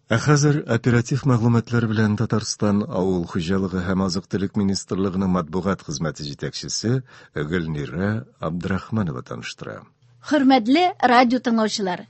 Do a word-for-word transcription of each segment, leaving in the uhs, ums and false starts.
Ә хәзер оператив мәгълүматлар белән Татарстан Авыл хуҗалыгы һәм азык-төлек министрлыгының матбугат хезмәте җитәкчесе Гөлнирә Абдрахманова таныштыра. Хөрмәтле радио тыңлаучылар,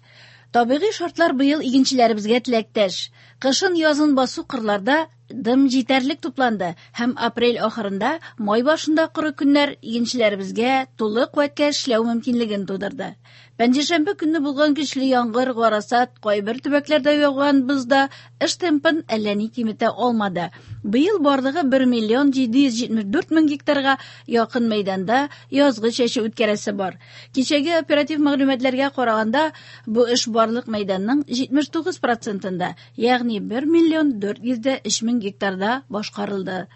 табигый шартлар быел игенчеләребезгә теләктәш. Кышын язын басу кырларда дым җитәрлек тупланды һәм апрель ахырында, май башында коры көннәр игенчеләребезгә тулы куәткә эшләү мөмкинлеген тудырды. Пәнҗешәмбе көнне булган көчле яңгыр, гарасат, кайбер төбәкләрдә яуган боз да эш темпын әллә ни киметә алмады. Быел барлыгы бер миллион җиде йөз җитмеш дүрт мең гектарга якын мәйданда язгы чәчү үткәрәсе бар. Кичәге оператив мәгълүматларга караганда, бу эш барлык мәйданның җитмеш тугыз процентында, ягъни бер миллион дүрт йөз дә өч мең гектарда башкарылды.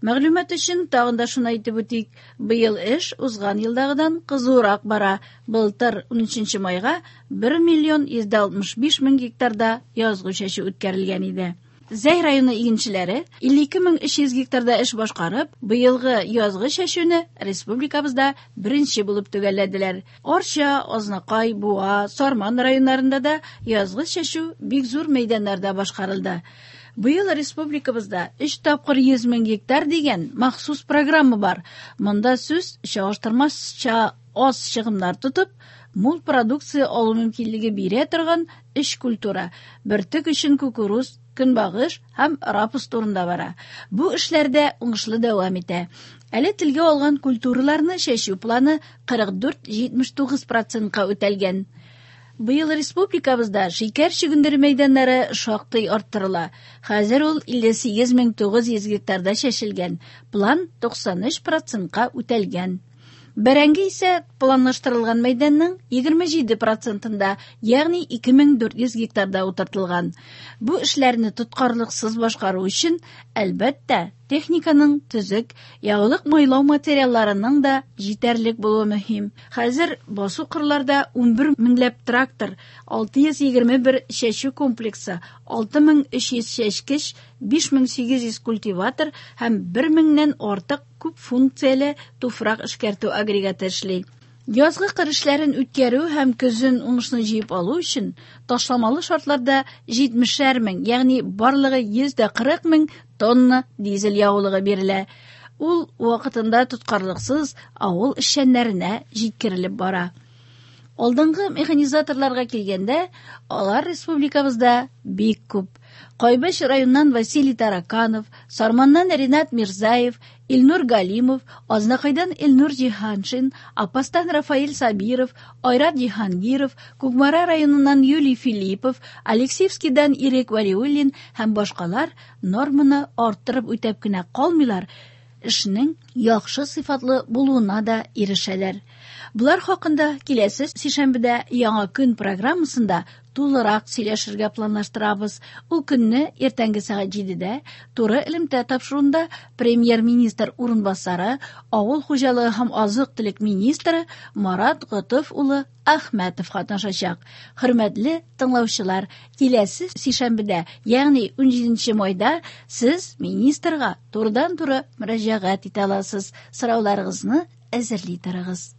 Мәгълүмат өчен тагын да шуны әйтеп үтик, быел эш узган елдагыдан кызурак бара. Былтыр унөченче майга бер миллион йөз дә алтмыш биш мең гектарда язгы чәчү үткәрелгән иде. Зәй районы игенчеләре илле ике мең өч йөз гектарда эш башкарып, быелгы язгы чәчүне республикабызда беренче булып төгәлләделәр. Арча, Азнакай, Буа, Сарман районнарында да язгы чәчү бик зур мәйданнарда башкарылды. Быел республикабызда өч тапкыр йөз мең гектар дигән махсус программа бар. Монда сүз чагыштырмача аз чыгымнар тотып, мул продукция алу мөмкинлеге бирә торган өч культура: бөртек өчен кукуруз, көнбагыш һәм рапс турында бара. Бу эшләрдә уңышлы дәвам итә. Әле телгә алган культураларны чәчү планы кырык дүрт җитмеш тугыз процентка үтәлгән. Быел республикабызда шикәр чөгендере мәйданнары шактый арттырыла. Хәзер ул илле сигез мең тугыз йөз гектарда чәчелгән. План туксан өч процентка үтәлгән. Бәрәңге исә планлаштырылган мәйданның егерме җиде процентында, ягъни ике мең дүрт йөз гектарда утыртылган. Бу эшләрне тоткарлыксыз башкару өчен, әлбәттә, техниканың төзек, ягулык майлау материалларының да җитәрлек булуы мөһим. Хәзер басу кырларда унбер меңләп трактор, алты йөз егерме бер чәчү комплексы, алты мең өч йөз чәчкеч, биш мең сигез йөз культиватор һәм бер меңнән артык күп функцияле туфрак эшкәртү агрегаты эшли. Язгы кыр эшләрен үткәрү һәм көзен уңышны җыеп алу өчен ташламалы шартларда җитмешәр мең, ягъни барлыгы йөз дә кырык мең тонна дизель ягулыгы бирелә. Ул вакытында тоткарлыксыз авыл эшчәннәренә җиткерелеп бара. Алдынгы механизаторларга килгәндә, алар республикабызда бик күп. Кайбыч районнан Василий Тараканов, Сарманнан Ринат Мирзаев, Илнур Галимов, Азнакайдан Илнур Җиһаншин, Апастан Рафаэль Сабиров, Айрат Җиһангиров, Кукмара районыннан Юлий Филиппов, Алексеевскийдан Ирек Валиуллин һәм башкалар норманы арттырып үтәп кенә калмыйлар, эшнең яхшы сыйфатлы булуына да ирешәләр. Булар хакында киләсе сишәмбедә Яңа көн программасында тулырак сөйләшергә планлаштырабыз. Ул көнне иртәнге сәгать җидедә туры элемтә тапшыруында премьер-министр урынбасары, авыл хуҗалыгы һәм азык-төлек министры Марат Готыф улы Әхмәтов катнашачак. Хөрмәтле тыңлаучылар, киләсе сишәмбедә, ягъни унҗиденче майда сез министрга турыдан-туры мөрәҗәгать итә аласыз. Сорауларыгызны әзерли торыгыз.